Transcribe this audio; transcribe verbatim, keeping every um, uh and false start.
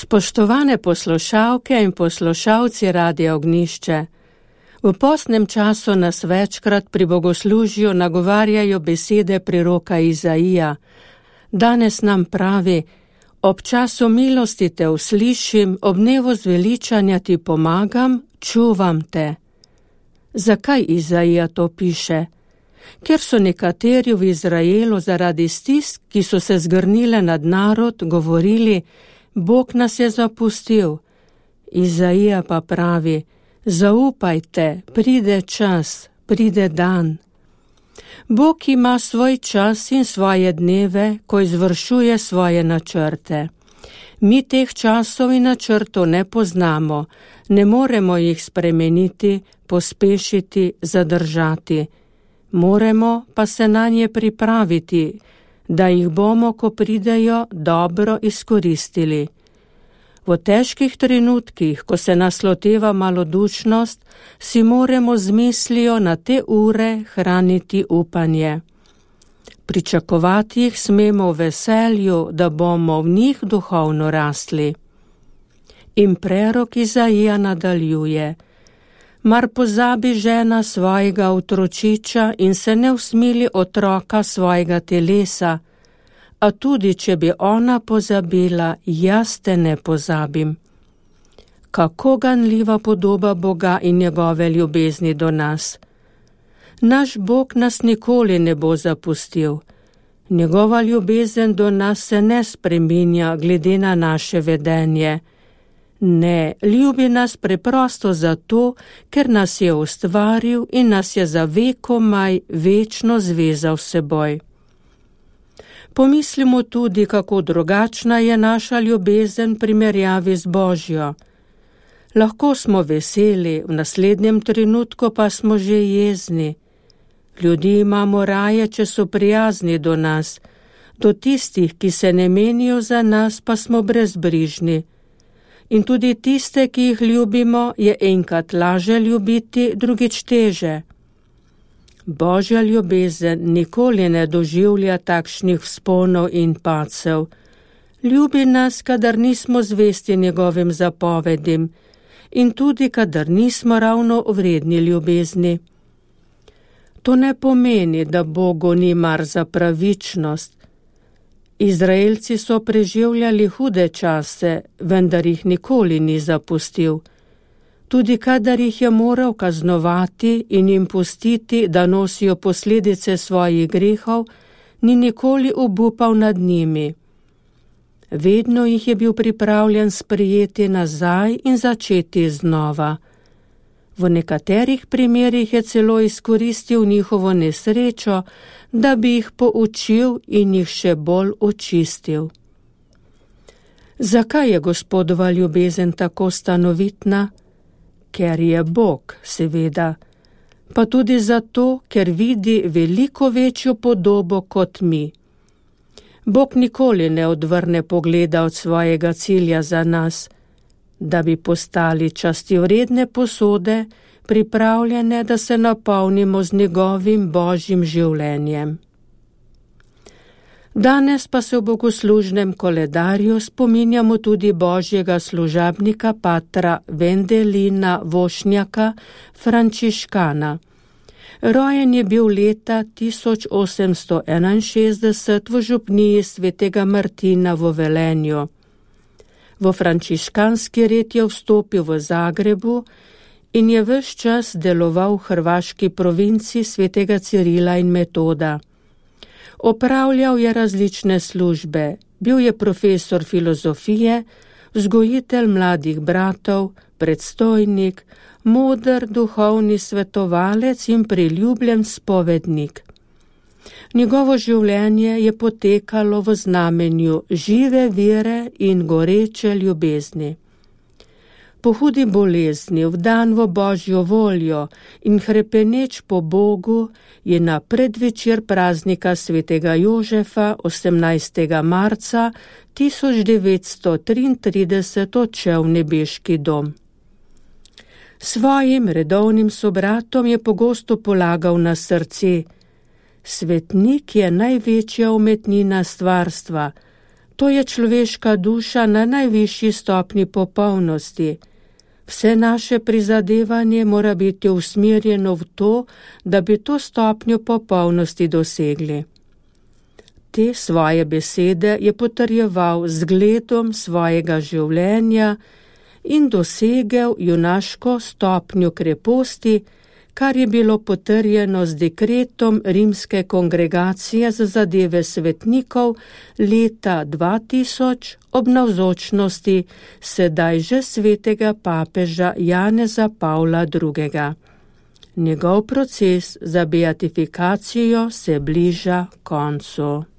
Spoštovane poslušalke in poslušalci Radia Ognjišče, v postnem času nas večkrat pri bogoslužju nagovarjajo besede preroka Izaija. Danes nam pravi: ob času milosti te uslišim, ob dnevu zveličanja ti pomagam, čuvam te. Zakaj Izaija to piše? Ker so nekateri v Izraelu zaradi stisk, ki so se zgrnile nad narod, govorili: Bog nas je zapustil. Izaija pa pravi: zaupajte, pride čas, pride dan. Bog ima svoj čas in svoje dneve, ko izvršuje svoje načrte. Mi teh časov in načrtov ne poznamo, ne moremo jih spremeniti, pospešiti, zadržati. Moramo pa se nanje pripraviti, da jih bomo, ko pridejo, dobro izkoristili. V težkih trenutkih, ko se nas loteva malodušnost, si moramo z mislijo na te ure hraniti upanje. Pričakovati jih smemo v veselju, da bomo v njih duhovno rastli. In prerok Izaija nadaljuje: mar pozabi žena svojega otročiča in se ne usmili otroka svojega telesa, a tudi, če bi ona pozabila, jaz te ne pozabim. Kako ganljiva podoba Boga in njegove ljubezni do nas. Naš Bog nas nikoli ne bo zapustil. Njegova ljubezen do nas se ne spreminja glede na naše vedenje. Ne, ljubi nas preprosto zato, ker nas je ustvaril in nas je za vekomaj večno zvezal s seboj. Pomislimo tudi, kako drugačna je naša ljubezen v primerjavi z Božjo. Lahko smo veseli, v naslednjem trenutku pa smo že jezni. Ljudi imamo raje, če so prijazni do nas, do tistih, ki se ne menijo za nas, pa smo brezbrižni. In tudi tiste, ki jih ljubimo, je enkrat laže ljubiti, drugič teže. Božja ljubezen nikoli ne doživlja takšnih vzponov in padcev. Ljubi nas, kadar nismo zvesti njegovim zapovedim in tudi, kadar nismo ravno vredni ljubezni. To ne pomeni, da Bogu ni mar za pravičnost. Izraelci so preživljali hude čase, vendar jih nikoli ni zapustil. Tudi kadar jih je moral kaznovati in jim pustiti, da nosijo posledice svojih grehov, ni nikoli obupal nad njimi. Vedno jih je bil pripravljen sprejeti nazaj in začeti znova. V nekaterih primerih je celo izkoristil njihovo nesrečo, da bi jih poučil in jih še bolj očistil. Zakaj je Gospodova ljubezen tako stanovitna? Ker je Bog, seveda, pa tudi zato, ker vidi veliko večjo podobo kot mi. Bog nikoli ne odvrne pogleda od svojega cilja za nas, da bi postali častivredne posode, pripravljene, da se napolnimo z njegovim Božjim življenjem. Danes pa se v bogoslužnem koledarju spominjamo tudi Božjega služabnika patra Vendelina Vošnjaka, frančiškana. Rojen je bil leta tisoč osemsto enainšestdeset v župniji svetega Martina v Velenju. V frančiškanski red je vstopil v Zagrebu in je ves čas deloval v hrvaški provinci svetega Cirila in Metoda. Opravljal je različne službe, bil je profesor filozofije, vzgojitelj mladih bratov, predstojnik, moder duhovni svetovalec in priljubljen spovednik. Njegovo življenje je potekalo v znamenju žive vere in goreče ljubezni. Po hudi bolezni, vdan v Božjo voljo in hrepeneč po Bogu, je na predvečer praznika svetega Jožefa osemnajstega marca tisoč devetsto triintrideset odšel v nebeški dom. Svojim redovnim sobratom je pogosto polagal na srce: svetnik je največja umetnina stvarstva, To je človeška duša na najvišji stopni popolnosti. Vse naše prizadevanje mora biti usmerjeno v to, da bi to stopnjo popolnosti dosegli. Te svoje besede je potrjeval z zgledom svojega življenja in dosegel junaško stopnjo kreposti, kar je bilo potrjeno z dekretom Rimske kongregacije za zadeve svetnikov leta dva tisoč ob navzočnosti sedaj že svetega papeža Janeza Pavla drugega. Njegov proces za beatifikacijo se bliža koncu.